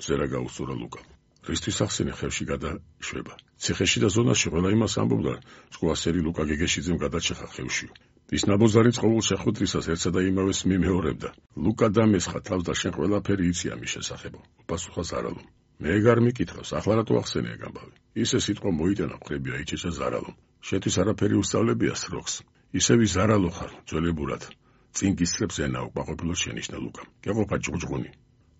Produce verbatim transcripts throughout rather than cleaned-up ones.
ზერა გაუსწორა ლუკამ. რისთვის ახსენე ხევში გადაშვება. ციხეში და ზონაში ყველა იმას ამბობდა, სკოლასერი ლუკა გეგეშიძემ გადაჭეხა ხევში. ის ნაბოზარი წყოვილ შეხვედრისას ერთსა და იმავეს მიმეორებდა. ლუკა დამესხა თავს და შენ ყველაფერი იცი ამის შესახებ. უპასუხა ზარალომ. მე ეგარ მიკითხავს, ახლა რატო ახსენე ამბავი? ისე სიტყვა მოიტანა მხრები აიჩეჩა ზარალომ. შეთვის არაფერი უსწავლებია სროქს. ისევი ზარალო ხარ, ძველებურად. წინ გისწრებს ენა უკმაყოფილო შენიშნა ლუკამ. გეყოფა ჭუჭყუნი.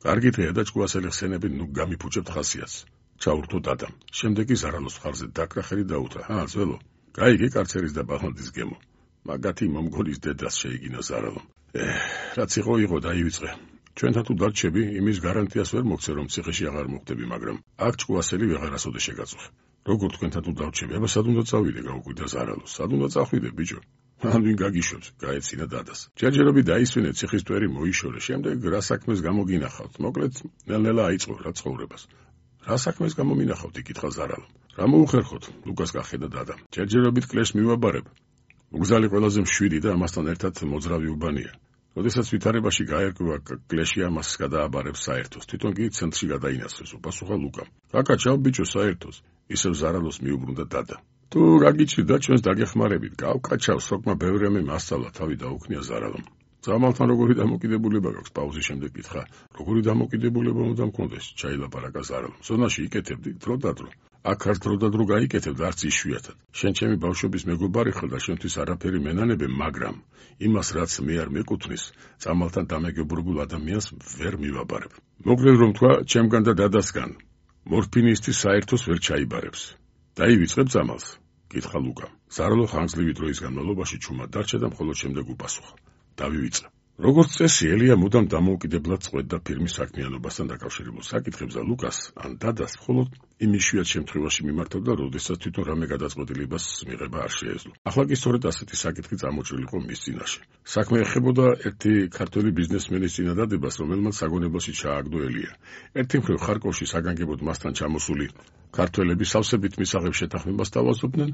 კარგი დღეა და ჭკუასელი ხსენები ნუ გამიფუჭებთ ხასიათს. ჩაურთო დადამ. შემდეგ კი ზარალოს მხარზე დაკრახელი დაუთრა. ჰა, ძველო. გაიგე კარცერის და ბახალდის გემო. მაგათი მომგოლის დედას შეიგინა ზარალომ. ეჰ, რაც იყო იყო დაივიწყე. ჩვენთან თუ დარჩები, იმის გარანტიას ვერ მოგცე, რომ ციხეში აღარ მოხვდები, მაგრამ აქ ჭკუასელი ვეღარასოდეს შეგაწუხე. როგორ თქვენთან თუ დარჩები, აბა სად უნდა წავიდე, გაუკვირდა ზარალო. სად უნდა წახვიდე, ბიჭო? ან ვინ გაგიშვებს, გაეცინა დადას. ჯერჯერობით დაისვენე ციხის ტვერი მოიშორე, შემდეგ რა საქმეს გამოგინახავთ? მოკლედ, ნელ-ნელა აიწყო რა ცხოვრებას. რა საქმეს გამომინახავთ, იკითხა ზარალომ. რა მოუხერხოთ? ლუკას გახედა დადამ. ჯერჯერობით კლეშს მივაბარებ. მგზალი ყველაზე მშვიდი და ამასთან ერთად მოძრავი უბანია. როდესაც ვითარებაში გაერკვა კლეში ამას გადააბარებს საერთოს, თვითონ კი ცენტრში გადაინაცვლეს, უპასუხა ლუკამ. გაკაჩავ ბიჭო საერთოს, ისევ ზარალოს მიუბრუნდა დადა. თუ გაგიჩნდა ჩვენს დაგეხმარებით, გავკაჩავ, სოკმა ბევრი რამე მასწავლა, თავი დაუქნია ზარალომ. ზამალთან როგორი დამოკიდებულება გაქვს? პაუზის შემდეგ კითხა. როგორი დამოკიდებულება უნდა მქონდეს? ჩაილაპარაკა ზარალომ. ზონაში იკეთებდი დრო და დრო. აქ არ დრო და დრო გაიკეთებ და არც იშვიათად. შენ ჩემი ბავშვობის მეგობარი ხარ და შენთვის არაფერი მენანებე, მაგრამ იმას რაც მე არ მეკუთვნის, წამალთან დამეგობრებულ ადამიანს ვერ მივაბარებ. მოკლედ რომ თქვა, ჩემგან და დადასგან მორფინისტის საერთოს ვერ ჩაიბარებს. დაივიწყებ წამალს? კითხა ლუკამ. ზარალო ხანგრძლივი დროის განმავლობაში ჩუმად დარჩა და მხოლოდ შემდეგ უპასუხა. დავივიწყე. როგორც წესი, ელია მუდამ დამოუკიდებლად წყვეტდა ფირმის საქმიანობასთან დაკავშირებულ საკითხებს და ლუკას ან დადას მხოლოდ იმ იშვიათ შემთხვევაში მიმართავდა, როდესაც თვითონ რამე გადაწყვეტილებას მიღება არ შეეძლო. ახლა კი სწორედ ასეთი საკითხი წამოჭრილი იყო მის წინაშე. საქმე ეხებოდა ერთი ქართველი ბიზნესმენის წინადადებას, რომელმაც საგონებელში ჩააგდო ელია. ერთი მხრივ ხარკოვში საგანგებოდ მასთან ჩამოსული ქართველები სავსებით მისაღებ შეთანხმებას თავაზობდნენ,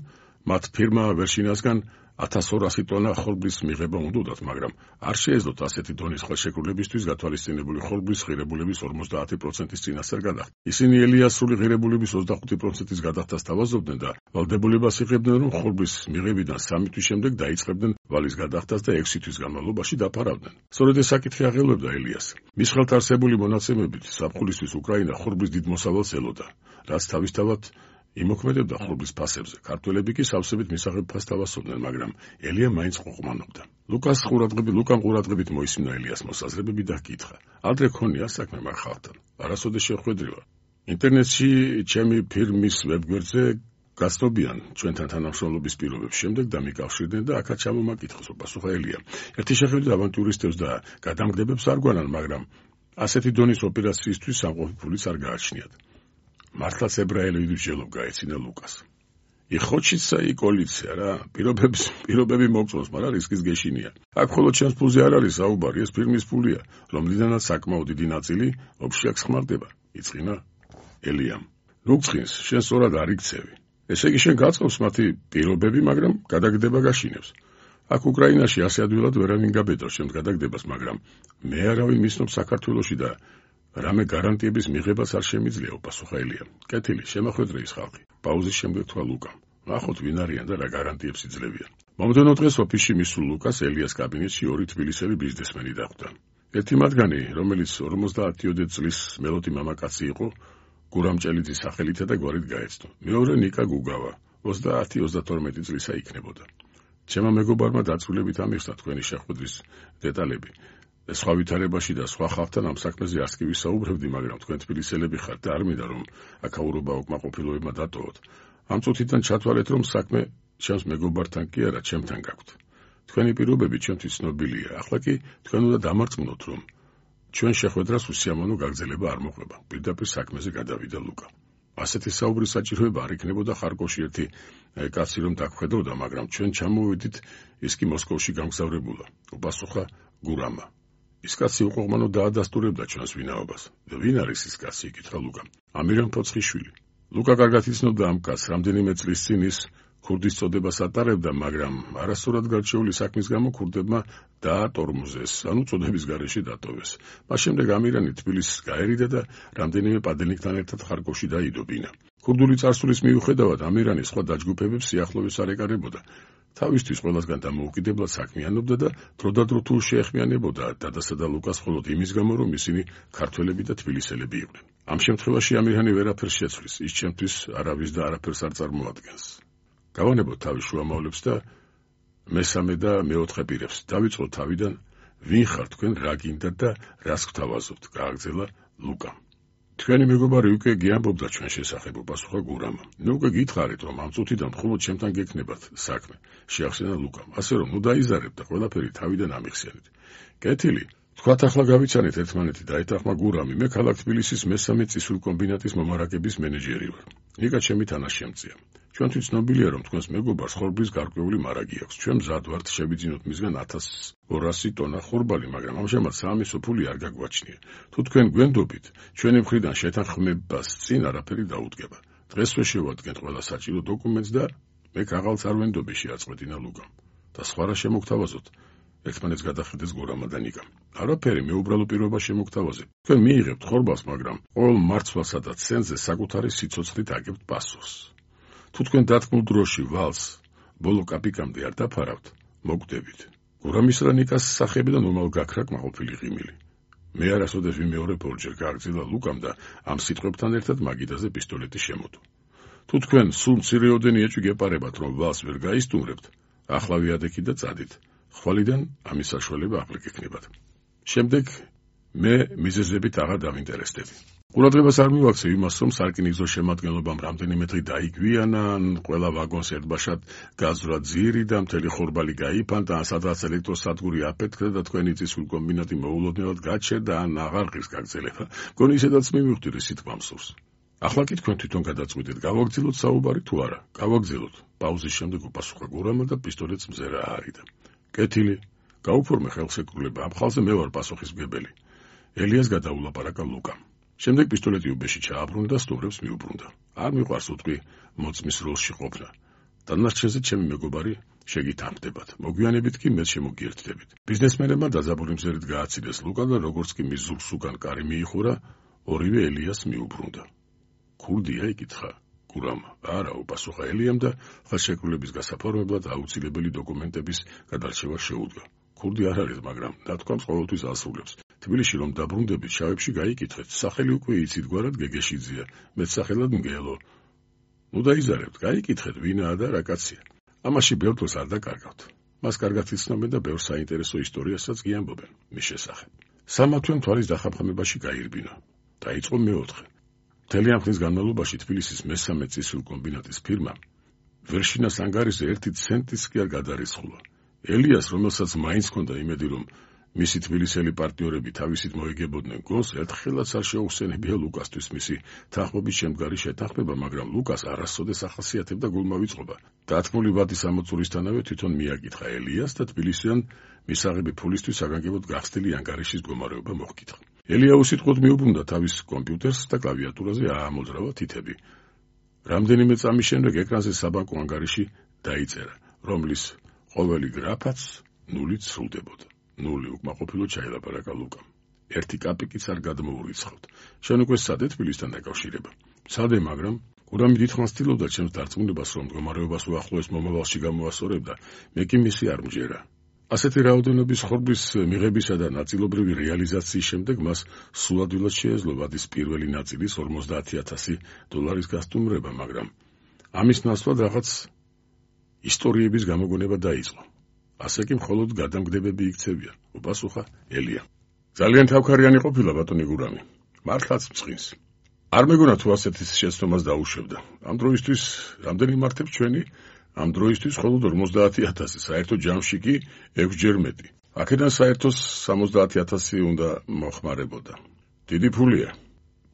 მათ ფირმა ვერშინასგან ათას ორასი ტონა ხორბლის მიღება უნდათ, მაგრამ არ შეეძლოთ ასეთი დონის ხელშეკრულებისთვის გათვალისწინებული ხორბლის ღირებულების ორმოცდაათი პროცენტის წინასწარ გადახდა. ისინი ელიას სრული ღირებულების ოცდახუთი პროცენტის გადახდას თავაზობდნენ და ვალდებულებას იღებდნენ, რომ ხორბლის მიღებიდან სამი თვის შემდეგ დაიწყებდნენ ვალის გადახდას და ექვსი თვის განმავლობაში დაფარავდნენ. სწორედ ეს საკითხი აღელვებდა ელიას. მის ხელთ არსებული მონაცემებით ზაფხულისთვის უკრაინა ხორბლის დიდ მოსავალს ელოდა, რაც თავისთავად იმოქმედებდა ხორბლის ფასებზე. ქართველები კი სავსებით მისაღებ ფასს თავაზობდნენ, მაგრამ ელია მაინც ყოყმანობდა. ლუკას ყურადღებით, ლუკამ ყურადღებით მოისმინა ელიას მოსაზრებები და ჰკითხა. ადრე ქონია საქმე მაგ ხალხთან? არასოდეს შეხვედრილა. ინტერნეტში ჩემი ფირმის ვებგვერდზე გაცნობიან ჩვენთან თანამშრომლობის პირობებს, შემდეგ დამიკავშირდნენ და აქაც ჩამომაკითხეს, უპასუხა ელია. ერთი შეხედვით ავანტიურისტებს და გადამგდებებს არ გვანან, მაგრამ ასეთი დონის ოპერაციისთვის სამყოფი ფულიც არ გააჩნიათ. მართლაც ებრაელები ვსჯელობ, გაეცინა ლუკას. იხოჩიცა и კოალიცია რა, პირობებს, პირობები მოგწონს, მაგრამ რისკის გეშინია. აქ მხოლოდ ჩემს ფულზე არ არის საუბარი, ეს ფირმის ფულია, რომლიდანაც საკმაოდ დიდი ნაწილი ოფშიაქ ხმარდება, იწყინა ელიამ. ნუ გწყინს, შენ სწორად არ იქცევი. ესე იგი შენ გაწყობს მათი პირობები, მაგრამ გადაგდება გაშინებს. აქ უკრაინაში ასე ადვილად ვერავინ გაბედავს ჩემს გადაგდებას, მაგრამ მე არავინ მისნობს საქართველოში და რამე გარანტიების მიღებას არ შემიძლია, უპასუხა ელია. კეთილი, შემოხვედრე ის ხალხი. პაუზის შემდეგ თქვა ლუკამ. ნახოთ ვინ არიან და რა გარანტიებს იძლევიან. მომდევნო დღეს ოფისში მისულ ლუკას ელიას კაბინეტში ორი თბილისელი ბიზნესმენი დახვდა. ერთი მათგანი, რომელიც ორმოცდაათიოდე წლის მელოდი მამაკაცი იყო, გურამჭელიძის სახელითა და გვარით გაეცნო. მეორე ნიკა გუგავა, ოცდაათი ოცდათორმეტი წლისა იქნებოდა. ჩემმა მეგობარმა დაწვრილებით ამიხსნა თქვენი შეხვედრის დეტალები. სხვა ვითარებაში და სხვა ხალხთან ამ საქმეზე არც კი ვისაუბრებდი, მაგრამ თქვენ თბილისელები ხართ და არ მინდა რომ აქაურობა უკმაყოფილოებმა დატოვოთ. ამ წუთიდან ჩათვალეთ, რომ საქმე ჩემს მეგობართან კი არა, ჩემთან გაქვთ. თქვენი პირობები ჩემთვის ცნობილია. ახლა კი თქვენ უნდა დამარწმუნოთ, რომ ჩვენ შეხვედრას უსიამოვნო გაგრძელება არ მოყვება. პირდაპირ საქმეზე გადავიდა ლუკა. ასეთი საუბრის საჭიროება არ იქნებოდა ხარკოვში ერთი კაცი რომ დაგხვედროდა, მაგრამ ჩვენ ჩამოვედით, ის კი მოსკოვში გამგზავრებულა, უპასუხა გურამა. ის კაცი უყოყმანო დაადასტურებდა ჩვენს ვინაობას. და ვინ არის ის კაცი? იკითხა ლუკამ. ამირან ფოცხიშვილი. ლუკა კარგად იცნობდა ამ კაცს, რამდენიმე წლის წინ ის ქურდის წოდებას ატარებდა, მაგრამ არასწორად გარჩეული საქმის გამო ქურდებმა დაატორმოზეს, ანუ წოდების გარეშე დატოვეს. მას შემდეგ ამირანი თბილისს გაერიდა და რამდენიმე პადელნიკთან ერთად ხარკოვში დაიდობინა. ქურდული წარსულის მიუხედავად ამირანი სხვა დაჯგუფებებს სიახლოვეს არ ეკარებოდა. თავისთვის ყველასგან დამოუკიდებლად საქმიანობდა და დროდადრო თუ შეეხმიანებოდა დადასა და ლუკას მხოლოდ იმის გამო, რომ ისინი ქართველები და თბილისელები იყვნენ. ამ შემთხვევაში ამირანი ვერაფერს შეცვლის, ის ჩემთვის არავის და არაფერს არ წარმოადგენს. გავანებოთ თავის შუამავლებს და მესამე და მეოთხე პირებს. დავიწყოთ თავიდან, ვინ ხარ თქვენ, რა გინდათ და რას გთავაზობთ, გააგრძელა ლუკამ. თქვენი მეგობარი უკვე გიამბობდა ჩვენ შესახებ, პასუხა გურამა. ნუ უკვე გითხარით, რომ ამ წუთიდან მხოლოდ ჩემთან გექნებათ საქმე, შეახსენა ლუკამ. ასე რომ, ნუ დაიზარებთ და ყველაფერი თავიდან ამიხსენეთ. კეთილი, თქვათ ახლა გავიცანეთ ერთმანეთი, დაეთანხმა გურამი. მე ქალაქ თბილისის მესამე წისულ კომბინატის მომარაგების მენეჯერი ვარ. ნიკა ჩემი თანაშემწეა. ჩვენთვის ცნობილია, რომ თქვენს მეგობარს ხორბლის გარკვეული მარაგი აქვს. ჩვენ მზად ვართ შევიძინოთ მისგან ათას ორასი ტონა ხორბალი, მაგრამ ამჟამად საამისო ფული არ გაგვაჩნია. თუ თქვენ გვენდობით, ჩვენი მხრიდან შეთანხმებას წინ არაფერი დაუდგება. დღესვე შევადგენთ ყველა საჭირო დოკუმენტს და მე ქაღალდს არ ვენდობი, შეაწყვეტინა ლუკამ. და სხვა რა შემოგთავაზოთ? ერთმანეთს გადახედეს გურამა და ნიკამ. არაფერი, მე უბრალო პირობა შემოგთავაზებ. თქვენ მიიღებთ ხორბალს, მაგრამ ყოველ მარცვალსა და ცენზე საკუთარი სიცოცხლით აგებთ პასუხს. თუ თქვენ დათქმულ დროში ვალს ბოლო კაპიკამდე არ დაფარავთ, მოგდებით. გურამის რა ნიკას სახეებიდან უმალ გაქრა კმაყოფილი ღიმილი. მე არასოდეს ვიმეორებ ორჯერ, გააგრძელა ლუკამ და ამ სიტყვებთან ერთად მაგიდაზე პისტოლეტი შემოდო. თუ თქვენ სულ მცირეოდენი ეჭვი გეპარებათ, რომ ვალს ვერ გაისტუმრებთ, ახლა ვიადექით და წადით. ხვალიდან ამის საშუალება აღარ გექნებათ. შემდეგ მე მიზეზებით აღარ დავინტერესდები. ყურადღებას არ მივაქცევ იმას, რომ სარკინიგზო შემადგენლობამ რამდენიმე დღე დაიგვიანა, ყველა ვაგონს ერთბაშად გაზრა ძირი და მთელი ხორბალი გაიფანტა, სადაც ელექტროსადგური აფეთქდა და თქვენი წისულ კომბინატი მოულოდნელად გაჩერდა, ან აღარ ღირს გაგრძელება. მგონი ისედაც მივხვდი, რომ სიტყვა მსურს. ახლა კი თქვენ თვითონ გადაწყვიტეთ, გავაგრძელოთ საუბარი თუ არა? გავაგრძელოთ. პაუზის შემდეგ უპასუხა გურამა და პისტოლეტს მზერა აარიდა. კეთილი, გაუფორმე ხელშეკრულება, ამ ხალხზე მე ვარ პასუხისმგებელი. ელიას გადაულაპარაკა ლუკამ. შემდეგ პისტოლეტი უბეში ჩააბრუნდა და სტუმრებს მიუბრუნდა. არ მიყვარს უტყვი მოწმის როლში ყოფნა. დანარჩენზე ჩემი მეგობარი შეგითანხმდებათ. მოგვიანებით კი მე შემოგიერთდებით. ბიზნესმენებმა დაძაბული მზერით გააცილეს ლუკა და როგორც კი მის ზურგს უკან კარი მიიხურა, ორივე ელიას მიუბრუნდა. ქურდია, იკითხა გურამა. არა, უპასუხა ელიამ და ხელშეკრულების გასაფორმებლად აუცილებელი დოკუმენტების გადარჩევა შეუდგა. ქურდი არ არის, მაგრამ დათქვამს ყოველთვის ასრულებს. თბილისში რომ დაბრუნდებით, შავებში გაიკითხეთ. სახელი უკვე იცით, გვარად გეგეშიძეა, მეც სახელად მგელო. ნუ დაიზარებთ, გაიკითხეთ, ვინაა და რა კაცია. ამაში ბევრ დროს არ დაკარგავთ. მას კარგად იცნობენ და ბევრ საინტერესო ისტორიასაც გიამბობენ მის შესახებ. სამათვე მთვარის დახაფამებაში გაირბინა. დაიწყო მეოთხე. მთელი ამ ხნის განმავლობაში თბილისის მესამე წისულ კომბინატის ფირმა ვერშინას ანგარიზე ერთი ცენტის კი არ გადარიცხულა. ელიას, რომელსაც მაინც ჰქონდა იმედი, რომ მისი თბილისელი პარტნიორები თავისით მოიგებოდნენ გონს, ერთხელაც არ შეუხსენებია ლუკასთვის მისი თანხმობის შემდგარი შეთანხმება, მაგრამ ლუკას არასოდეს ახასიათებდა გულმავიწყობა. დათქმული ვადის ამოწურისთანავე თვითონ მიაკითხა ელიას და თბილისიდან მისაღები ფულისთვის საგანგებოდ გახსნილი ანგარიშის გომარეობა მოჰკითხა. ელია უსიტყვოდ მიუბრუნდა თავის კომპიუტერს და კლავიატურაზე აამოძრავა თითები. რამდენიმე წამის შემდეგ ეკრანზე საბანკო ანგარიში დაიწერა, რომლის ყოველი გრაფაც ნულით სრულდებოდა. ნული უკმაყოფილო ჩაილაპარაკა ლუკამ. ერთი კაპიკიც არ გადმოურიცხავთ. შენ უკვე სადე თბილისთან დაკავშირება? სადე, მაგრამ გურამი დიდხანს ცდილობდა ჩემს დარწმუნებას, რომ მდგომარეობას უახლოეს მომავალში გამოასწორებდა. მე კი მისი არ მჯერა. ასეთი რაოდენობის ხორბლის მიღებისა და ნაწილობრივი რეალიზაციის შემდეგ მას სულადვილად შეეძლო ვადის პირველი ნაწილის ორმოცდაათი ათასი დოლარის გასტუმრება, მაგრამ ამის ნაცვლად რაღაც ისტორიების გამოგონება დაიწყო. ასე კი მხოლოდ გადამგდებები იქცევიან, უპასუხა ელია. ძალიან თავქარიანი ყოფილა ბატონი გურამი. მართლაც მწყინს. არ მეგონა თუ ასეთი შეცდომას დაუშვებდა. ამ დროისთვის რამდენი მართებს ჩვენი? ამ დროისთვის მხოლოდ ორმოცდაათი ათასი, საერთო ჯამში კი ექვსჯერ მეტი. აქედან საერთოს სამოცდაათი ათასი უნდა მოხმარებოდა. დიდი ფულია.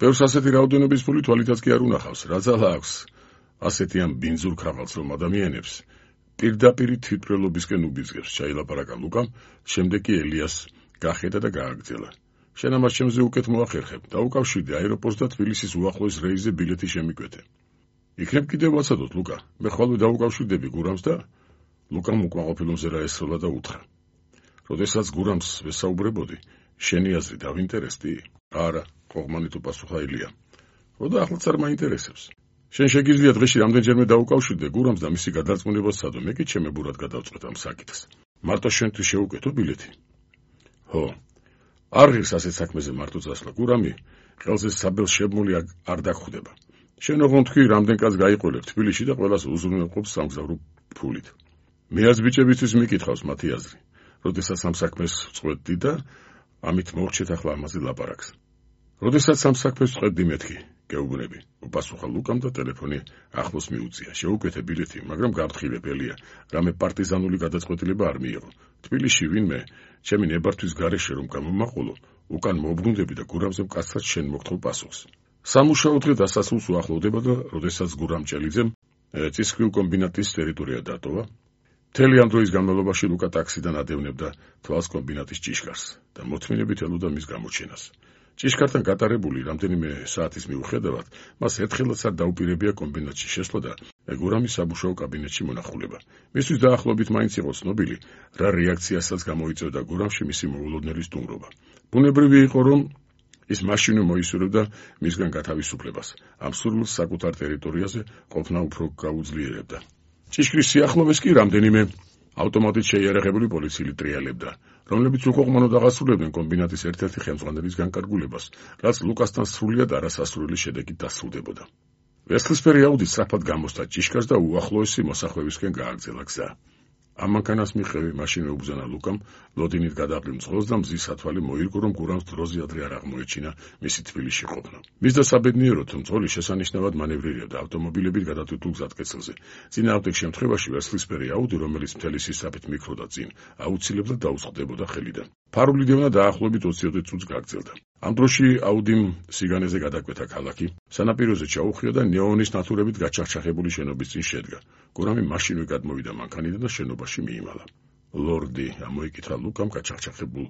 ბევრს ასეთი რაოდენობის ფული თვალითაც კი არ უნახავს. რა ძალა აქვს ასეთი ამ ბინძურ ქაღალდს, რომ ადამიანებს პირდაპირი თვითმკვლელობისკენ უბიძგებს, ჩაილაპარაკა ლუკამ, შემდეგ კი ელიას გახედა და გააგრძელა. შენ ამას ჩემზე უკეთ მოახერხებ, დაუკავშირდი აეროპორტს და თბილისის უახლოეს რეისზე ბილეთი შემიკვეთე. იქნებ კიდევ ვაცადოთ, ლუკა. მე ხვალვე დავუკავშირდები გურამს და ლუკამ უკმაყოფილოზე რა ესროლა და უთხრა. როდესაც გურამს ვესაუბრებოდი, შენი აზრი დავინტერესდი? არა, ყოღმანით უპასუხა ილია. როდა ახლაც არ მაინტერესებს. შენ შეგიძლია დღეში რამდენჯერმე დაუკავშირდე გურამს და მისი გადარწმუნება სცადო, მე კი ჩემებურად გადავწყვეტ ამ საკითხს. მარტო შენთვის შეუკეთო ბილეთი? ხო. არ ღირს ასეთ საქმეზე მარტო წასვლა. გურამი ყელზე საბელს შებმული არ დაგხვდება. შენ ოღონდ თქვი, რამდენ კაცს გაიყოლებ თბილისში და ყველას უზრუნველყოფს სამგზავრო ფულით. მე არც ბიჭებისთვის მიკითხავს მათი აზრი. როდესაც ამ საქმეს წყვეტდი და ამით მოვრჩეთ ახლა ამაზე ლაპარაკს. როდესაც ამ საქმეს წყვეტდი მეთქი, გეუბნები, უპასუხა ლუკამ და ტელეფონი ახლოს მიუწია. შეუკეთე ბილეთი, მაგრამ გავთხილებ ელია, რამე პარტიზანული გადაწყვეტილება არ მიიღო. თბილისში ვინმე ჩემი ნებართვის გარეშე რომ გამომაყოლო, უკან მოbrუნდები და გურამზე მკაცრად შენ მოგთხოვ პასუხს. სამუშაო დღე დასასრულს უახლოვდება და როდესაც გურამ ჭელიძემ წისქვილ კომბინატის ტერიტორია დატოვა, მთელი ამ დროის განმავლობაში ლუკა ტაქსიდან ადევნებდა თვალს კომბინატის ჭიშკარს და მოთმინებით ელოდა მის გამოჩენას. ჭიშკართან გატარებული რამდენიმე საათის მიუხედავად, მას ერთხელაც არ დაუპირებია კომბინატში შესვლა და გურამის სამუშაო კაბინეტში მონახულება. მისთვის დაახლოებით მაინც იყო ცნობილი, რა რეაქციასაც გამოიწვევდა გურამში მისი მოულოდნელი სტუმრობა. ბუნებრივი იყო, რომ ის მაშინვე მოისურვებდა მისგან გათავისუფლებას. ამ სურვილს საკუთარ ტერიტორიაზე ყოფნა უფრო გაუძლიერებდა. ჭიშკრის სიახლოვეს კი რამდენიმე ავტომატით შეიარაღებული პოლიციელი ტრიალებდა, რომლებიც უყოყმანოდ აღასრულებდნენ კომბინატის ერთ-ერთი ხელმძღვანელის განკარგულებას, რაც ლუკასთან სრულიად არასასურველი შედეგით დასრულდებოდა. ვერცხლისფერი აუდი სწრაფად გამოსცა ჭიშკარს და უახლოესი მოსახლეებისკენ გააგრძელა გზა. ამ მანქანას მიხევი მაშინვე უბრძანა ლუკამ ლოდინით გადაყრილ მძღოლს და მზის სათვალე მოირგო, რომ გურამს დროზე ადრე არ აღმოეჩინა მისი თბილისში ყოფნა. მის დასაბედნიეროდ მძღოლი შესანიშნავად მანევრირებდა ავტომობილებით გადატვირთულ გზატკეცილზე. წინააღმდეგ შემთხვევაში ვერცხლისფერი აუდი, რომელიც მთელი სისწრაფით მიქროდა წინ, აუცილებლად დაუსხდებოდა ხელიდან. ფარული დევნა დაახლოებით ოცი წუთს გაგრძელდა. ამ დროში აუდიმ სიგანეზე გადაკვეთა ქალაქი, სანაპიროზე ჩაუხია და ნეონის ნათურებით გაჩახჩახებული შენობის წინ შედგა. გურამი მაშინვე გადმოვიდა მანქანიდან და შენობაში მიიმალა. ლორდი, ამოიკითხა ლუკამ გაჩახჩახებულ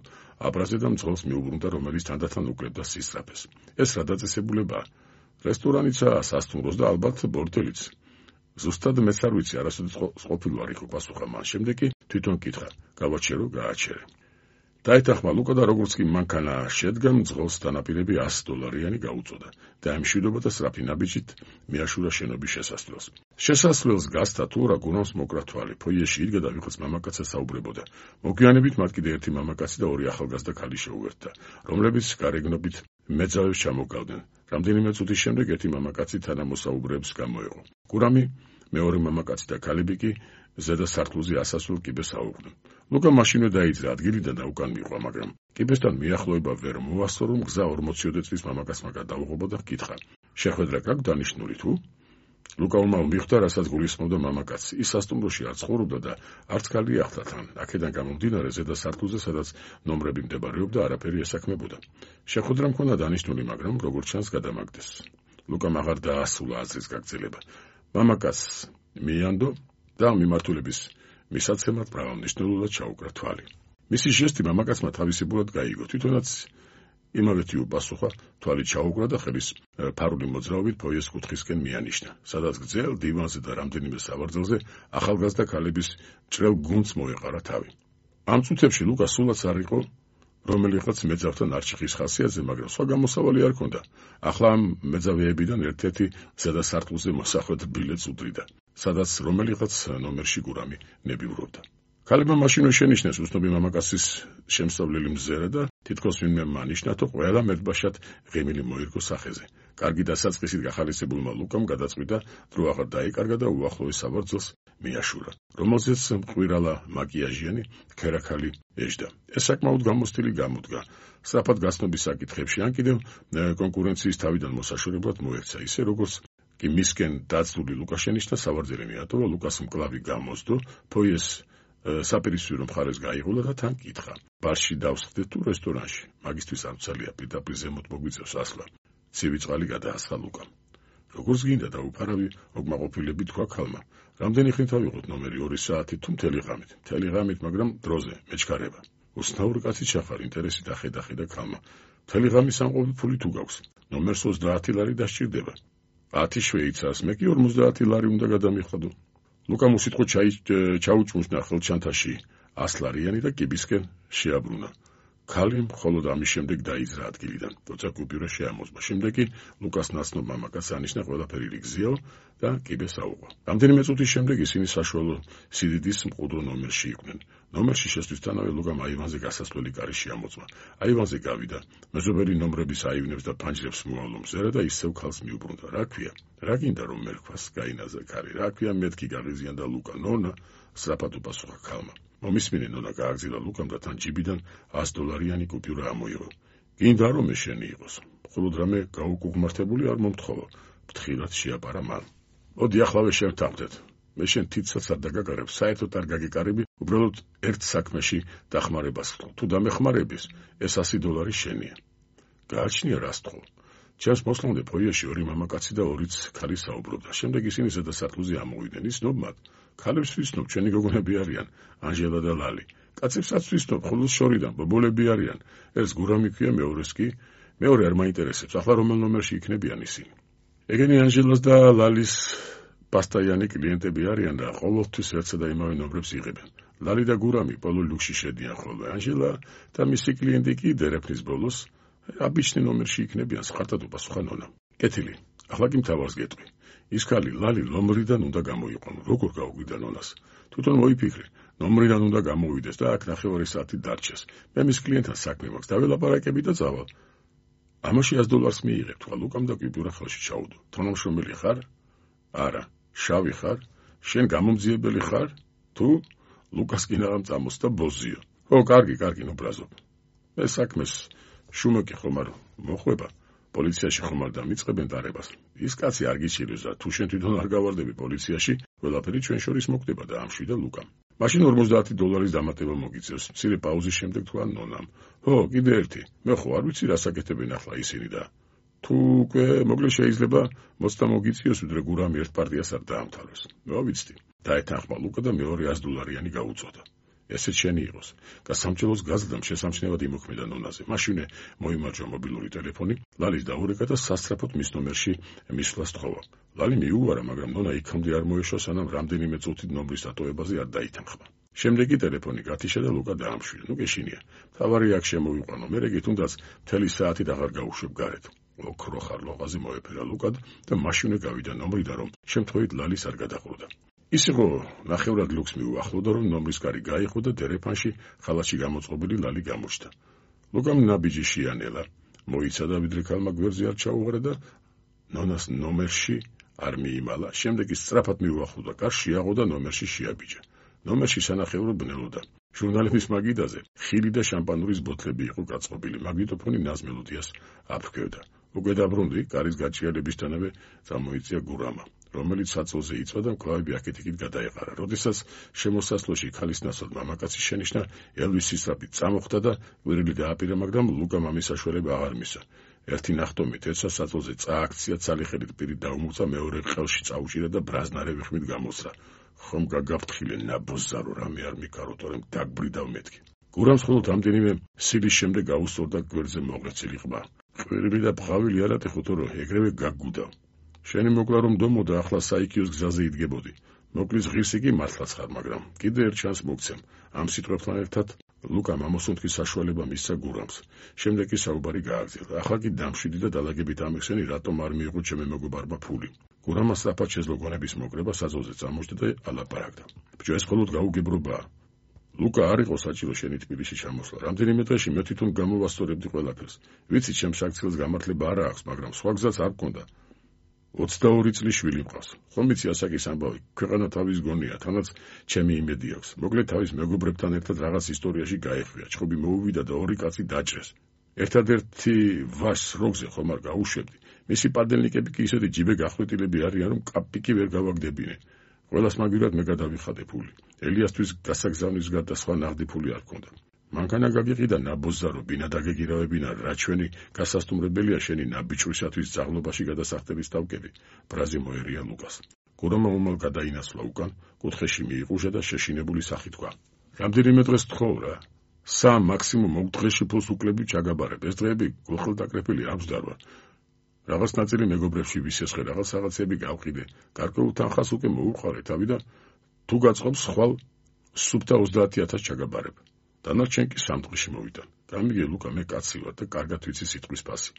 აბრაზე და მძღოლს მიუბრუნდა, რომელიც თანდათან უკლებდა სისწრაფეს. ეს რა დაწესებულებაა? რესტორანიცაა, სასტუმროს და ალბათ ბორტელიც. ზუსტად მეც არ ვიცი, არასოდეს ყოფილი არ იყო, პასუხა მან. შემდეგ კი თვითონ კითხა, გავაჩერო, გააჩერე. დაეთანხმა ლუკა და როგორც კი მანქანა შედგა, მძღოლს დანაპირები ას დოლარიანი გაუწოდა და ამშვიდობა და სწრაფი ნაბიჯით მიაშურა შენობის შესასვლელს. შესასვლელს გასცა თუ რა გურამს მოკრა თვალი. ფოიეში იდგა და ვიღაც მამაკაცს საუბრებოდა. მოგვიანებით მათ კიდე ერთი მამაკაცი და ორი ახალგაზრდა ქალი შეუერთდა, რომლებიც გარეგნობით მეძავებს ჩამოგავდნენ. რამდენიმე წუთის შემდეგ ერთი მამაკაცი თანამოსაუბრეებს გამოეყო. გურამი, მეორე მამაკაცი და ქალები კი ზედა სართულზე ასასვლელ კიბეს აუღდნენ. ლუკა მაშინვე დაიძრა ადგილიდან და უკან მიყვა, მაგრამ კიბესთან მიახლოება ვერ მოასწრო, რომ გზა ორმოციოდე წლის მამაკაცმა გადაუღობა და კითხა, შეხვედრა გაქვს დანიშნული თუ? ლუკა უმალ მიხვდა, რასაც გულისხმობდა მამაკაცი. ის სასტუმროში არ ცხოვრობდა და არც ქალი ახლდა თან. აქედან გამომდინარე, ზედა სართულზე, სადაც ნომრები მდებარეობდა, არაფერი ესაქმებოდა. შეხვედრა მქონდა დანიშნული, მაგრამ როგორც ჩანს გადამაგდეს. ლუკამ აღარ დაასრულა აზრის გაგრძელება. მამაკაცს მიანდო და მიმართულების მისაცემად მრავალნიშნულად ჩაუკრა თვალი. მისი ჟესტი მამაკაცმა თავისებურად გაიგო. თვითონაც იმავეთი უპასუხა, თვალი ჩაუკრა და ხელის ფარული მოძრაობით ფოიეს კუთხისკენ მიანიშნა, სადაც გრძელ დივანზე და რამდენიმე სავარძელზე ახალგაზრდა ქალების ჭრელ გუნდს მოეყარა თავი. ამ წუთებში ლუკა სულაც არ იყო რომელიღაც მეძავთან არჩიხის ხასიათზე, მაგრამ სხვა გამოსავალი არ ჰქონდა. ახლა ამ მეძავეებიდან ერთ-ერთი ზედა სართულზე მოსახვედ ბილეთს უდრიდა, სადაც რომელიღაც ნომერში გურამი ნებივრობდა. ქალებმა მაშინვე შენიშნეს უცნობი მამაკაცის შემსწავლელი მზერა და თითქოს ვინმე მანიშნათო, ყველა მერტბაშად ღიმილი მოირგო სახეზე. კარგი დასაწყისით გახალისებულმა ლუკამ გადაწყვიტა, დრო აღარ დაიკარგა და უახლოეს სავარძელს მიაშურა, რომელზეც მყვირალა მაკიაჟიანი ქერაქალი ეжდა. ეს საკმაოდ გამოსტილი გამოდგა. სწრაფად გასნობის საკითხებში ან კიდევ კონკურენციის თავიდან მოსაშორებლად მოექცა, ისე როგორც კი მისკენ დაცული ლუკა შენიშნა, სავარძელი მიატოვა, ლუკას მკლავი გამოსდო, ფოიეს საპირისპირო მხარეს გაიღულა და თან კითხა, ბარში დავსხდეთ თუ რესტორანში? მაგისთვის არ ვცალია, პირდაპირ ზემოთ მოგვიწევს ასლა. ცივი წყალი გადაასხა ლუკამ. როგორც გინდა დაუფარავი, ოკმაყოფილები თქვა ქალმა. რამდენი ხნით ავიღოთ ნომერი ორი საათი თუ მთელი ღამით? მთელი ღამით, მაგრამ დროზე, მეჩქარება. უსნაური კაცი ჩახარ, ინტერესით ახედა-ხედა ქალმა. მთელი ღამის ამყოფი ფული თუ გაქვს? ნომერს ოცდაათი ლარი დასჭირდება. ათი შვეიცარს, მე კი ორმოცდაათი ლარი უნდა გადამიხადო. ლუკამ უსიტყვო ჩაუჭმუშნა ხელჩანთაში ასი ლარიანი და კიბისკენ შეაბრუნა. ქალი მხოლოდ ამის შემდეგ დაიძრა ადგილიდან, როცა კუპიურა შეამოწმა. შემდეგ კი ლუკას ნაცნობ მამაკაცს ანიშნა ყველაფერი რიგზიაო და კიბეს აუღვა. რამდენიმე წუთის შემდეგ ისინი საშუალო სიდიდის მყუდრო ნომერში იყვნენ. ნომერში შესვლისთანავე ლუკამ აივანზე გასასვლელი კარი შეამოწმა. აივანზე გავიდა, მეზობელი ნომრების აივნებს და ფანჯრებს მოავლო მზერა და ისევ ქალს მიუბრუნდა. რა ქვია? რა გინდა რომ მერქვას? გაინაზრა ქარი. რა ქვია მეთქი გაღიზიანდა ლუკა. ნონა, სწრაფად უპასუხა ქალმა. მომისმინე ნონა გააგზავნა ლუკამ და თან ჯიბიდან ას დოლარიანი კუპიურა ამოიღო. გინდა რომ მე შენი იყოს. მხოლოდ რამე გაუკუღმართებული არ მომთხოვა. ფრთხილად შეაპარა მან. მოდი ახლავე შევთანხმდეთ. მე შენ თითსაც არ დაგაგარებ, საერთოდ არ გაგეკარები, უბრალოდ ერთ საქმეში დახმარებას ვთხოვ. თუ დამეხმარების, ეს ასი დოლარი შენია. გააჩნია რას თხოვ. ჩემს მოსლამდე ფოიეში ორი მამაკაცი და ორიც ქალი საუბრობდა. შემდეგ ისინი ზედა სართულზე ამოვიდნენ. იცნობ მათ? ქალებს ვიცნობ, ჩვენი გოგონები არიან, ანჟელა და ლალი. კაცებსაც ვიცნობ, ხოლოს შორიდან ბობოლები არიან. ერთს გურამი ქვია, მეორეს კი. მეორე არ მაინტერესებს, ახლა რომელ ნომერში იქნებიან ისინი. ეგენი ანჟელას და ლალის პასტაიანი კლიენტები არიან და ყოველთვის ერთსა და იმავე ნომრებს იღებენ. ლალი და გურამი პოლო ლუქსში შედიან ხოლმე. ანჟელა და მისი კლიენტი კი დერეფნის ბოლოს აბიჩნი ნომერში იქნებიან, სხარტად უპასუხა ნონა. კეთილი, ახლა კი მთავარს გეტყვი. ის ქალი ლალი ნომრიდან უნდა გამოიყვანო. როგორ გაუგვიდა ნონას? თვითონ მოიფიქრე, ნომრიდან უნდა გამოვიდეს და აქ ნახევარი საათი დარჩეს. მე მის კლიენტთან საქმე მაქვს, დაველაპარაკები და წავალ. ამაში ას დოლარს მიიღებ, თქვა ლუკამ და კუპიურა ხელში ჩაუდო. თანამშრომელი ხარ? არა. შავი ხარ? შენ გამომძიებელი ხარ? თუ? ლუკას კინაღამ წამოსდა ბოზიო. ო, კარგი, კარგი, ნუბრაზობ. მე საქმეს შუმოკი ხომ არ მოხვება. პოლიციაში ხომ არ დამიწყებენ დარებას. ის კაცი არ გიჩირის და თუ შენ თვითონ არ გავარდები პოლიციაში, ყველაფერი ჩვენ შორის მოხდება და ამშვიდა ლუკამ. მაშინ ორმოცდაათი დოლარის დამატება მოგიწევს. მცირე პაუზის შემდეგ თქვა ნონამ. ჰო, კიდე ერთი. მე ხო არ ვიცი რა საკეთებენ ახლა ისინი და თუ უკვე მოგლე შეიძლება მოცდა მოგიწიოს ვიდრე გურამი ერთ პარტიას არ დაამთავროს. მოვიცდი. დაეთანხმა ლუკა და მეორე ას დოლარიანი გაუწოდა. ესეც შენი იყოს. გასამჭრელოს გაზრდამ შესამჩნევად იმოქმედა ნონაზე. მაშინე მოიმარჯვა მობილური ტელეფონი, ლალის დაურეკა და სასწრაფოდ მის ნომერში მისვლას თხოვა. ლალი მიუვარა, მაგრამ ნონა იქამდე არ მოეშვა, სანამ რამდენიმე წუთით ნომრის დატოვებაზე არ დაითანხმა. შემდეგ კი ტელეფონი გათიშა და ლუკა დაამშვიდა. ნუ გეშინია. თავარი აქ შემოვიყვანო, მერე კი თუნდაც მთელი საათით აღარ გაუშვებ გარეთ. ოქრო ხარლოღაზე მოეფერა ლუკად და მაშინე გავიდა ნომრიდან, რომ შემთხვევით ლალის არ გადაყრუდა. ის იყო ნახევრად ლუქს მიუახლოვდა, რომ ნომრის კარი გაიხო და დერეფანში ხალათში გამოწყობილი ლალი გამოჩნდა. ლუკამ ნაბიჯი შეანელა, მოიცადა ვიდრე ქალმა გვერდზე არ ჩაუღრა და ნონას ნომერში არ მიიმალა. შემდეგ ის სწრაფად მიუახლოვდა კარს, შეაღო და ნომერში შეაბიჯა. ნომერში სანახევრო ბნელოდა. ჟურნალების მაგიდაზე ხილი და შამპანურის ბოთლები იყო გაწყობილი. მაგნიტოფონი ნაზ მელოდიას აფრქვევდა. უკვე დაბრუნდი, კარის გაჭიანებისთანავე წამოიწია გურამა, რომელიც საწოლზე იწვა და მკლავები აქეთ-იქით გადაეყარა. როდესაც შემოსასვლელში ქალის ნაცვლად მამაკაცი შენიშნა, ელვის სისწრაფით წამოხდა და ყვირილი დააპირა, მაგრამ ლუკამ ამის საშუალება აღარ მისცა. ერთი ნახტომით ერთსა საწოლზე წააქცია, ცალიხელით პირით დაუმოწა, მეორე ყელში წაუჭირა და ბრაზნარევი ხმით გამოსრა. ხომ გაგაფრთხილე ნაბოზარო, რამე არ მიკაროთ, რომ დაგბრიდავ მეთქი. გურამს მხოლოდ რამდენიმე სილის შემდეგ გაუსწორდა გვერდზე მოღერცილი ყბა. ყვირილი და ბღავილი არ ატეხოთო, რომ ეგრევე გაგგუდავ. შენი მოკლა რომ დომოდა, ახლა საიქიოს გზაზე იდგებოდი. მოკლის ღირსი კი მართლაც ხარ, მაგრამ კიდე ერთ ჩანს მოგცემ. ამ სიტყვებთან ერთად ლუკამ ამოსუნთქის საშუალება მისცა გურამს. შემდეგ კი საუბარი გააგრძელა. ახლა კი დამშვიდი და დალაგებით ამიხსენი, რატომ არ მიიღო ჩემი მეგობარმა ფული. გურამმა სწრაფად შეძლო გონების მოკრება, საზღვაზე წამოჯდა და ალაპარაკდა. ბიჭო, ეს მხოლოდ გაუგებრობაა. ლუკა არ იყო საჭირო შენი თბილისში ჩამოსვლა. რამდენიმე დღეში მე თვითონ გამოვასწორებდი ყველაფერს. ვიცი, ჩემს საქციელს გამართლება არ აქვს, მაგრამ სხვა გზაც არ მქონდა. ოცდაორი წლის შვილი მყავს. ხომ იცი ასაკის ამბავი, ქვეყანა თავის გონია, თანაც ჩემი იმედი აქვს. მოკლედ თავის მეგობრებთან ერთად რაღაც ისტორიაში გაეხვია, ჩხუბი მოუვიდა და ორი კაცი დაჭრეს. ერთადერთი ვაშს როგზე ხომ არ გაუშვებდი. მისი პარდელნიკები კი ისეთი ჯიბე გახვრეტილები არიან, რომ კაპიკი ვერ გავაგდებინე. ყველას მაგივრად მე გადავიხადე ფული. ელიასთვის გასაგზავნის გარდა სხვა ნაღდი ფული არ მქონდა. მანქანა გაგიყიდა ნაბოზარო, ბინა დაგეგირავებინა, რა ჩვენი გასასტუმრებელია შენი ნაბიჯვრისათვის ძაღლობაში გადასახდების თავკები. ბრაზი მოერია ლუკას. გურამმა უმალ გადაინაცვლა უკან, კუთხეში მიიყუშა და შეშინებული სახით თქვა. რამდენიმე დღეს თხოვ რა. სამ მაქსიმუმ ოქ დღეში ფულს უკლები ჩაგაბარებ. ეს დღეები გულხელდაკრეფილი აქვს დარვა. რაღაც ნაწილი მეგობრებში ვისესხე, რაღაც რაღაცები გავყიდე, გარკვეულ თანხას უკვე მოუყარე თავი და თუ გაწყობს ხვალ სუფთა ოცდაათი ათასი ჩაგაბარებ. დანარჩენ კი სამ დღეში მოვიტან. გამიგე ლუკა, მე კაცი ვარ და კარგად ვიცი სიტყვის ფასი.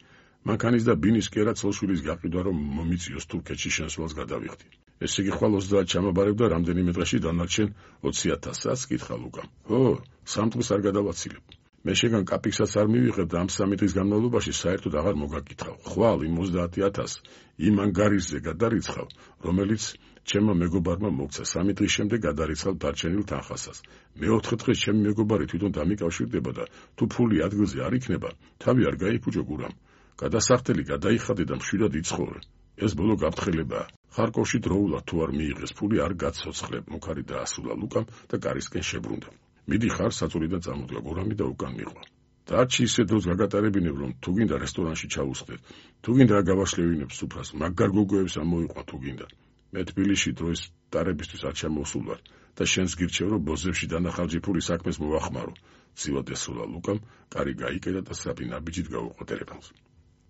მანქანის და ბინის კერა ცოლშვილის გაყიდვა რომ მომიწიოს თურქეთში შემსვლელს გადავიხდი. ესე იგი ხვალ ოცდაათი ჩამაბარებ და რამდენიმე დღეში დანარჩენ ოცი ათასსაც კითხა ლუკამ. ო, სამ დღეს არ გადავაცილებ. მე შეგან კაპიკსაც არ მივიღებ და ამ სამი დღის განმავლობაში საერთოდ აღარ მოგაკითხავ. ხვალ იმ ოცდაათი ათასს იმ ანგარიშზე გადარიცხავ, რომელიც ჩემმა მეგობარმა მოგცა. სამი დღის შემდეგ გადარიცხავ დარჩენილ თანხასაც. მეოთხე დღეს ჩემი მეგობარი თვითონ დამიკავშირდება და თუ ფული ადგილზე არ იქნება, თავი არ გაიფუჭო გურამ. გადასახდელი გადაიხადე და მშვიდად იცხოვრე. ეს ბოლო გაფრთხილებაა. ხარკოვში დროულად თუ არ მიიღეს ფული არ გაცოცხლებ, მუქარი დაასრულა ლუკამ და კარისკენ შებრუნდა. მიდი ხარ საწოლიდან წამოდგა გურამი და უკან მიყვა. დარჩი ისე დროს გაგატარებინებ, რომ თუ გინდა რესტორანში ჩავუსხდეთ, თუ გინდა აგავაშლევინებ სუფრას, მაგარ გოგოებს ამოიყვან თუ გინდა. მე თბილისში დროის დარებისთვის არ ჩამოსულ ვარ და შენს გირჩევ, რომ ბოზებში დანახალჯი ფული საქმეს მოვახმარო. ცივად ესროლა ლუკამ, კარი გაიკედა და საფი ნაბიჯით გაუყო ტელეფონს.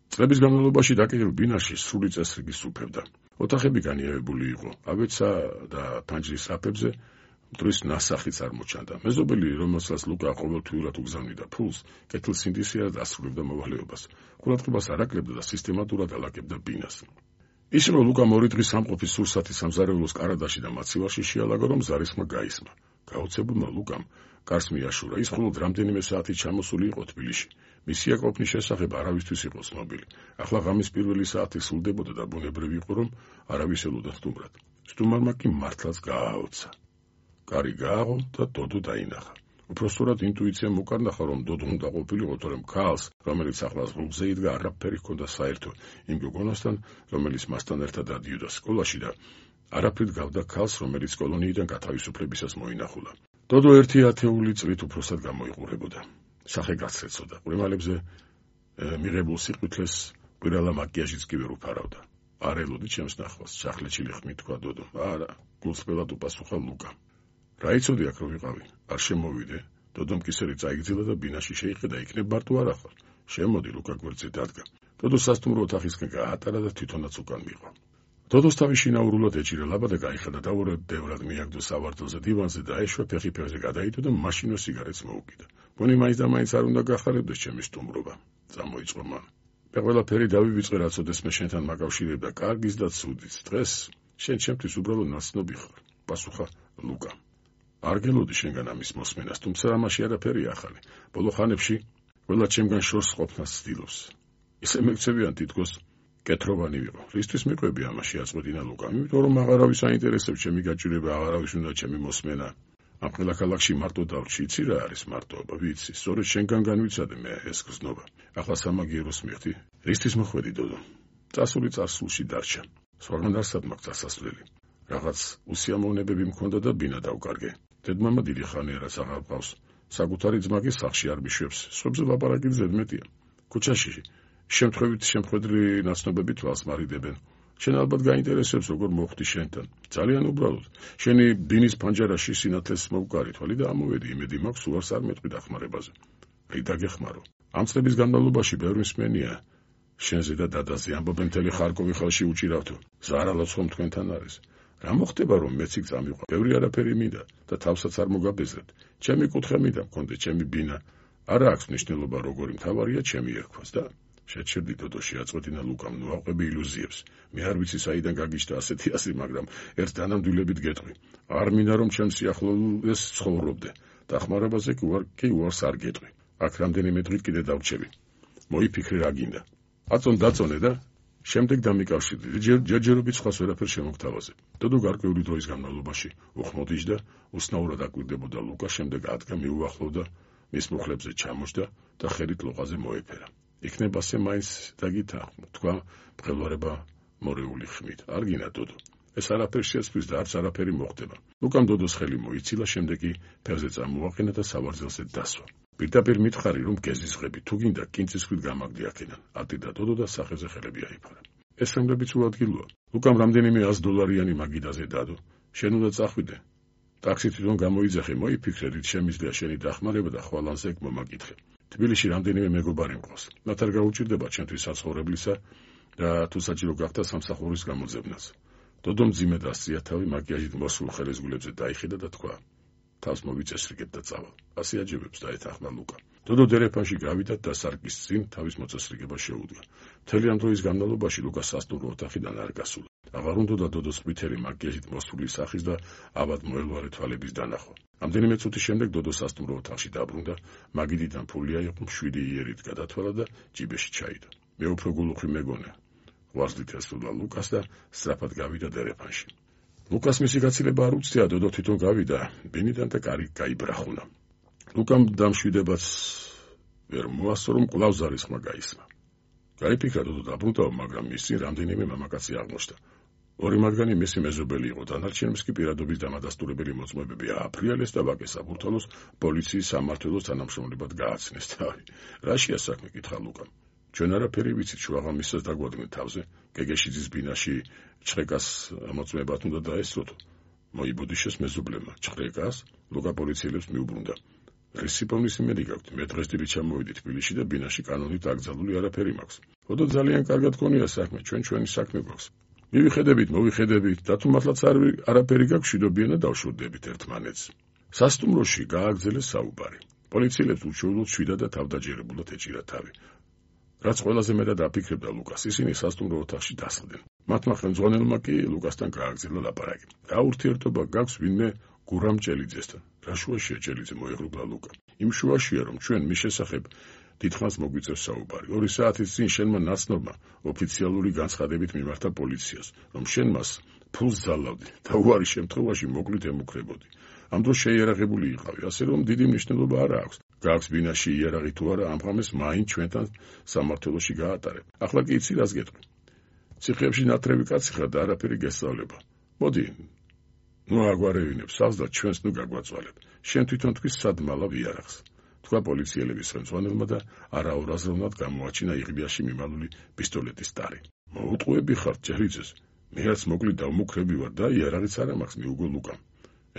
წლების განმავლობაში დაკიდულ ბინაში სრული წესრიგი სუფევდა. ოთახები განიავებული იყო, აბეცა და ფანჯრის საფებზე მტრის ნასახიც არ მოჩანდა. მეზობელი, რომელსაც ლუკა ყოველთვიურად უგზავნიდა ფულს, კეთილსინდისიერად ასრულებდა მოვალეობას. ყურადღებას არ აკლებდა და სისტემატურად ალაგებდა ბინას. ისე რომ ლუკამ ორი დღის სამყოფის სურსათი სამზარეულოს კარადაში და მაცივარში შეალაგა, რომ ზარისხმა გაისმა. გაოცებულმა ლუკამ კარს მიაშურა. ის მხოლოდ რამდენიმე საათი ჩამოსული იყო თბილისში. მისი აკროფნის შესახებ არავისთვის იყო ცნობილი. ახლა ღამის პირველი საათი სრულდებოდა და ბუნებრივი იყო, რომ არავის ელოდა სტუმრად. სტუმარმა კი მართლაც გააოცა. კარი გააღო და დოდო დაინახა. უпростоრად ინტუიციამ უკარნახა, რომ დოდო უნდა ყოფილიყო, თორემ ქალს, რომელიც ახლა ზღუდზე იდგა, არაფერი ჰქონდა საერთო იმ გოგონასთან, რომელიც მასთან ერთად დადიოდა სკოლაში და არაფრით გავდა ქალს, რომელიც კოლონიიდან გათავისუფლებისას მოინახულა. დოდო ერთი ათეული წლით უფროსად გამოიყურებოდა. სახე გაცეცოდა. ყურემალებზე მიღებულ სიყვითლეს კვირალა მაკიაჟიც კი ვერ უფარავდა. არ ელოდი ჩემს ნახვას, ჩახლეჩილი ხმით თქვა დოდო. არა, გულწრფელად უპასუხა ლუკა. რა იცოდი აქ რომ ვიყავი? არ შემოვიდე. დოდომ კისერი წაიგზილა და ბინაში შეიყიდა, იქნებ მარტო არ ახარ. შემოდი, ლუკა გვერდზე დადგა. დოდო სასტუმრო ოთახისკენ გაატარა და თვითონაც უკან მიყვა. დოდოს თავი შინაურულად ეჭირა ლაბა და გაიხადა დაურადევრად მიაგდო სავარდელზე დივანზე და ეშვა ფეხი ფეხზე გადაიდო და მაშინო სიგარეტს მოუკიდა. ბონი მაინც და მაინც არ უნდა გახარებდეს ჩემი სტუმრობა. წამოიწყო მან. მე ყველაფერი დავივიწყე, რაც ოდესმე შენთან მაკავშირებდა, კარგის და ცუდის. დღეს შენ ჩემთვის უბრალოდ ნაცნობი ხარ, პასუხა ლუკა. არ გელოდი შენგან ამის მოსმენას, თუმცა ამაში არაფერია ახალი. ბოლო ხანებში ყველა ჩემგან შორს ყოფნას ცდილობს. ისე მეკცევიან თითქოს კეთროვანი ვიყო. რისთვის მიყვები ამაში აწყვეტინა ლუკა? იმიტომ რომ აღარავის აინტერესებს ჩემი გაჭირება, აღარავის უნდა ჩემი მოსმენა. ამ ყველა ქალაქში მარტო დავრჩი, იცი რა არის მარტოობა, ვიცი. სწორედ შენგან განვიცადე მე ეს გზნობა. ახლა სამაგიეროს მიხდი. რისთვის მოხვედი დოდო? წასული წარსულში დარჩა. სხვაგან არსად მაქვს წასასვლელი. რაღაც უსიამოვნებები მქონდა და ბინა დავკარგე. დედმამა დიდი ხანია რაც აღარ ყავს. საკუთარი ძმა კი სახლში არ მიშვებს. სხვებზე ლაპარაკი ზედმეტია. ქუჩაში შემთხვევით შემთხვედრი ნაცნობები თვალს მარიდებენ. შენ ალბათ გაინტერესებს როგორ მოხვდი შენთან. ძალიან უბრალოდ. შენი ბინის ფანჯარაში სინათლეს მოვკარი თვალი და ამოვედი, იმედი მაქვს უარს არ მეტყვი დახმარებაზე. რით დაგეხმარო? ამ წლების განმავლობაში ბევრი მსმენია შენზე და დადაზე ამბობენ მთელი ხარკოვი ხელში უჭირავთო. ზარალაც ხომ თქვენთან არის. რა მოხდება რომ მეც იქ წამიყვა? ბევრი არაფერი მინდა და თავსაც არ მოგაბეზრებთ. ჩემი კუთხე მინდა მქონდე, ჩემი ბინა. არა აქვს მნიშვნელობა როგორი მთავარია ჩემი ერქვას და შეჩერდი დოდოში აწყვეტინა ლუკამ, ნუ აყვები ილუზიებს. მე არ ვიცი საიდან გაგიჩნდა ასეთი ასი, მაგრამ ერთ დანამდვილებით გეტყვი. არ მინდა რომ ჩემ სიახლოვეს ცხოვრობდე. დახმარებაზე კი უარ კი უარს არ გეტყვი. აქ რამდენიმე დღით კიდე დავრჩები. მოიფიქრე რა გინდა. აწონ დაწონე და შემდეგ დამიკავშირდი. ჯერჯერობით სხვას ვერაფერ შემოგთავაზე. დოდო გარკვეული დროის განმავლობაში უხმოდიშდა, უსნაურად აკვირდებოდა ლუკა, შემდეგ ადგა მიუახლოვდა, მის მუხლებზე ჩამოჯდა და ხელით ლოყაზე მოეფერა. იქნება ასე მაინც დაგითა, თქვა მღელვარება მორეული ხმით. არ გინდა დოდო. ეს არაფერი შეცვლის და არც არაფერი მოხდება. ლუკამ დოდოს ხელი მოიცილა, შემდეგ კი ფეხზე წამოაყენა და სავარძელზე დასვა. პირდაპირ მითხარი რომ გეზისხები, თუ გინდა კინცისქვით გამაგდი აქედან. ატირდა დოდო და სახეზე ხელები აიფარა. ეს რომლებიც უადგილოა. ლუკამ რამდენიმე ას დოლარიანი მაგიდაზე დადო. შენ უნდა წახვიდე. ტაქსი თვითონ გამოიძახე, მოიფიქრე, რით შემიძლია შენი დახმარება და ხვალანზე მომაკითხე. თბილისში რამდენიმე მეგობარი მყავს. მათ არ გაუჭირდება ჩემთვის საცხოვრებლისა და თუ საჭირო გახდა სამსახურის გამოძებნაც. დოდო მძიმედ ასწია თავი, მაკიაჟით მოსულ ხელისგულებზე დაიხიდა და თქვა: თავს მოვიწესრიგებ და წავალ. ასე აჯებებს დაეთანხმა ლუკა. დოდო დერეფანში გავიდა და სარკის წინ თავის მოწესრიგება შეუდგა. მთელი ამ დროის განმავლობაში ლუკა სასტუმრო ოთახიდან არ გასულა. აღარ უნდოდა დოდოს ყვითელი მაკიაჟით მოსული სახის და ავად მოელვარე თვალების დანახვა. ამდენიმე წუთის შემდეგ დოდო სასტუმრო ოთახში დაბრუნდა, მაგიდიდან ფული აიღო, მშვიდი იერით გადათვალა და ჯიბეში ჩაიდო. მე უფრო გულუხი მეგონა. ვარსლით ესულა ლუკას და სწრაფად გავიდა დერეფანში. ლუკას მისი გაცილება არ უცდია, დოდო თვითონ გავიდა ბინიდან და კარი გაიბრახუნა. ლუკამ დამშვიდებაც ვერ მოასწრო, რომ კვლავ ზარის ხმა გაისმა. გაიფიქრა დოდო დაბრუნდაო, მაგრამ მის წინ რამდენიმე მამაკაცი აღმოჩნდა. ორი მათგანი მისი მეზობელი იყო, დანარჩენებს კი პირადობის დამადასტურებელი მოწმობები ააფრიალეს და ვაკეს საბურთალოს პოლიციის სამმართველოს თანამშრომლებად გააცნეს. თავი რაშია საქმე, კითხა ლუკამ. ჩვენ არაფერი ვიცით, შუაღამისას დაგვადგნეთ თავზე, გეგეშიძის ბინაში ჩხეკას მოწმებათ უნდა დაესწროთ. მოიბოდიშეს მეზობლებმა. ჩხეკას? ლუკა პოლიციელებს მიუბრუნდა. რისიპოვნის იმედი გაქვთ, მე დღესდღეობით ჩამოვიდით თბილისში და ბინაში კანონით აკრძალული არაფერი მაქვს. ოდო ძალიან კარგად გქონია საქმე, ჩვენ ჩვენი საქმე გვაქვს. მივიხედებით, მოვიხედებით, და თუ მართლაც არაფერი გაქვს, შიდობიანად დავშურდებით ერთმანეთს. სასტუმროში გააგრძელეს საუბარი. პოლიციელებს უშუალოდ შვიდა და თავდაჯერებულად ეჭირა თავი. რაც ყველაზე მეტად აფიქრებდა ლუკას, ისინი სასტუმრო ოთახში დასხდნენ. მათმა ხელმძღვანელმა კი ლუკასთან გააგრძელა ლაპარაკი. რა ურთიერთობა გაქვს ვინმე გურამ ჭელიძესთან? რა შუაშია ჭელიძე, მოეღრუბლა ლუკა. იმ შუაშია, რომ ჩვენ მის შესახებ დიდხანს მოგვიწევს საუბარი. ორი საათის წინ შენმა ნაცნობმა ოფიციალური განცხადებით მიმართა პოლიციას, რომ შენ მას ფულს ძალავდი და უარი შემთხვევაში მოკლით ემუქრებოდი. ამ დროს შეიარაღებული იყავი, ასე რომ დიდი მნიშვნელობა არ აქვს. გაქვს ბინაში იარაღი თუ არა, ამ ღამეს მაინც ჩვენთან სამმართველოში გაატარებ. ახლა კი იცი რას გეტყვი. ციხეებში ნათრევი კაცი ხარ და არაფერი გესწავლება. მოდი, ნუ აგვარევინებ სავს და ჩვენს ნუ გაგვაწვალებ. შენ თვითონ თქვი სად მალავ იარაღს. თქვა პოლიციელების ხელმძღვანელმა და არაორაზროვნად გამოაჩინა იღბიაში მიმალული პისტოლეტის ტარი. მოუტყუები ხარ ჭელიძეს. მე რაც მოკლი დავმუქრები ვარ და იარაღიც არ მაქვს, მიუგო ლუკამ.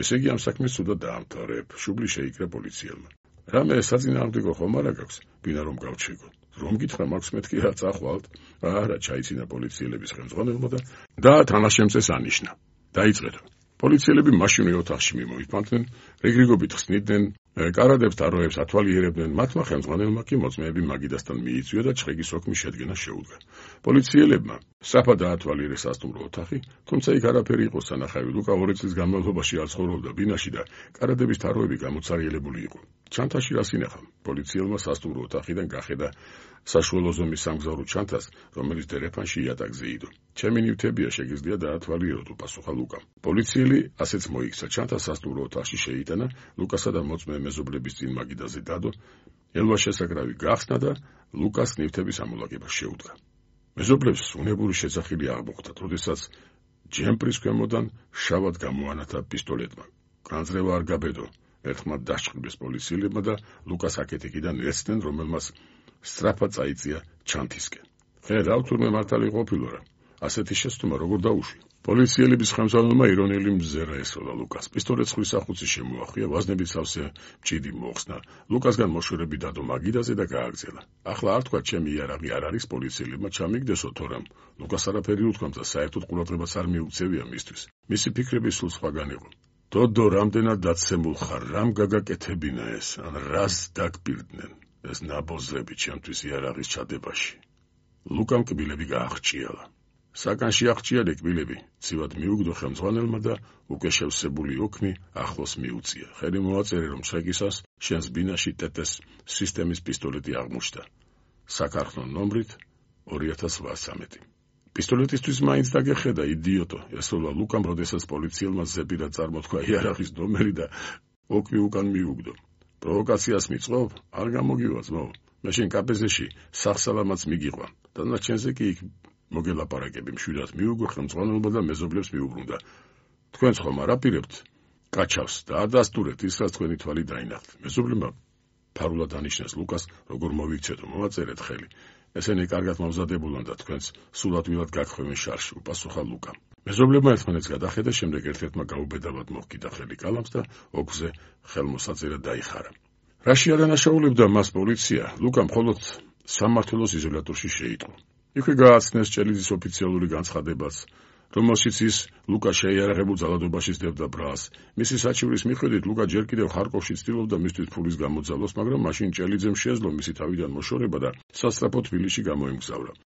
ესე იგი ამ საქმეს სულად დაამთავრებ, შუბლი შეიკრა პოლიციელმა. რამე საწინააღმდეგო ხომ არა გაქვს, ბინა რომ გავჩეგო. რომ გითხრა მაქვს მეთქი რა წახვალთ? არა, ჩაიცინა პოლიციელების ხელმძღვანელმა და და თანაშემწეს ანიშნა. დაიწყეთ. პოლიციელები მაშინვე ოთახში მიმოიფანტნენ, რიგრიგობით ხსნიდნენ, კარადებს თაროებს ათვალიერებდნენ, მათმა ხელმძღვანელმა კი მოწმეები მაგიდასთან მიიწვია და ჩხეკის ოქმის შედგენა შეუდგა. პოლიციელებმა სწრაფად დაათვალიერეს სასტუმრო ოთახი, თუმცა იქ არაფერი იყო სანახავი. ლუკა ორი წლის განმავლობაში არ ცხოვრობდა ბინაში და კარადების თაროები გამოცარიელებული იყო. ჩანთაში რას ინახავ? პოლიციელმა სასტუმრო ოთახიდან გახედა საშუალო ზომის სამგზავრო ჩანთას, რომელიც დერეფანში იატაკზე იდო. ჩემი ნივთებია, შეგიძლია დაათვალიეროთ, უპასუხა ლუკამ. პოლიციელი ასეც მოიქცა, ჩანთას სასტუმრო ოთახში შეიტანა, ლუკასა და მოწმე მეზობლების წინ მაგიდაზე დადო, ელვა შესაკრავი გახსნა და ლუკას ნივთების ამოლაგება შეუდგა. მეზობლებს უნებური შეძახილი აღმოხდა, როდესაც ჯემპრის ქვემოდან შავად გამოანათა პისტოლეტმა. განძრევა არ გაბედო, ერთხმად დასჭყბეს პოლიციელებმა და ლუკას აკეთიკიდან ეცდნენ, რომელმაც სწრაფად წაიწია ჩანთისკენ. ხე, რა თურმე მართალი ყოფილო რა. ასეთი შეცდომა როგორ დაუშვი? პოლიციელების ხელმძღვანელმა ირონიული მზერა ესროლა ლუკას. პისტოლეტს ხვის ახუცი შემოახვია, ვაზნებით სავსე მჭიდი მოხსნა. ლუკასგან მოშორები დადო მაგიდაზე და გააგრძელა. ახლა არ თქვა, ჩემი იარაღი არ არის, პოლიციელებმა ჩამიგდესო თორემ. ლუკას არაფერი უთქვამს და საერთოდ ყურადღებას არ მიუქცევია მისთვის. მისი ფიქრები სულ სხვაგან იყო. დოდო, რამდენად დაცემულ ხარ, რამ გაგაკეთებინა ეს, ან რას დაგპირდნენ ეს ნაბოზრები ჩემთვის იარაღის ჩადებაში. ლუკამ კბილები გააღჭიალა. საკანში აღჭიალე კბილები, ცივად მიუგდო ხელმძღვანელმა და უკვე შევსებული ოქმი ახლოს მიუწია. ხელი მოაწერე, რომ ჩხეკისას შენს ბინაში ტეტეს სისტემის პისტოლეტი აღმოჩნდა. საქარხნო ნომრით ორი ათას ოთხმოცდამეტი. პისტოლეტისთვის მაინც დაგეხედა, იდიოტო, ესროლა ლუკამ, როდესაც პოლიციელმა ზეპირად წარმოთქვა იარაღის ნომერი და ოქმი უკან მიუგდო. პროვოკაციას მიწყობ? არ გამოგივა ძმო. მე შენ კაპეზეში სახსალამაც მიგიყვან. დანარჩენზე კი იქ მოგელაპარაკები, მშვიდად მიუგო ხელმძღვანელმა და მეზობლებს მიუბრუნდა. თქვენც ხომ არ აპირებთ კაჩავს და ადასტურეთ ის, რაც თქვენი თვალი დაინახთ. მეზობლებმა ფარულად ანიშნეს ლუკას, როგორ მოვიქცეთო, მოვაწერეთ ხელი. ესენი კარგად მომზადებულან და თქვენც სულადვილად გაგხვევენ შარში, უპასუხა ლუკამ. მეზობლებმა ერთმანეთს გადახედა, შემდეგ ერთ-ერთმა გაუბედავად მოჰკიდა ხელი კალამს და ოქზე ხელმოსაწერად დაიხარა. რაში არანაშაულებდა მას პოლიცია, ლუკა მხოლოდ სამმართველოს იზოლატორში შეიტყო. იქვე გააცნეს ჭელიძის ოფიციალური განცხადებაც, რომელშიც ის ლუკა შეიარაღებულ ძალადობაში სდებდა ბრალს. მისი საჩივრის მიხედვით ლუკა ჯერ კიდევ ხარკოვში ცდილობდა მისთვის ფულის გამოძალვას, მაგრამ მაშინ ჭელიძემ შეეძლო მისი თავიდან მოშორება და სასწრაფო თბილისში გამოემგზავრა.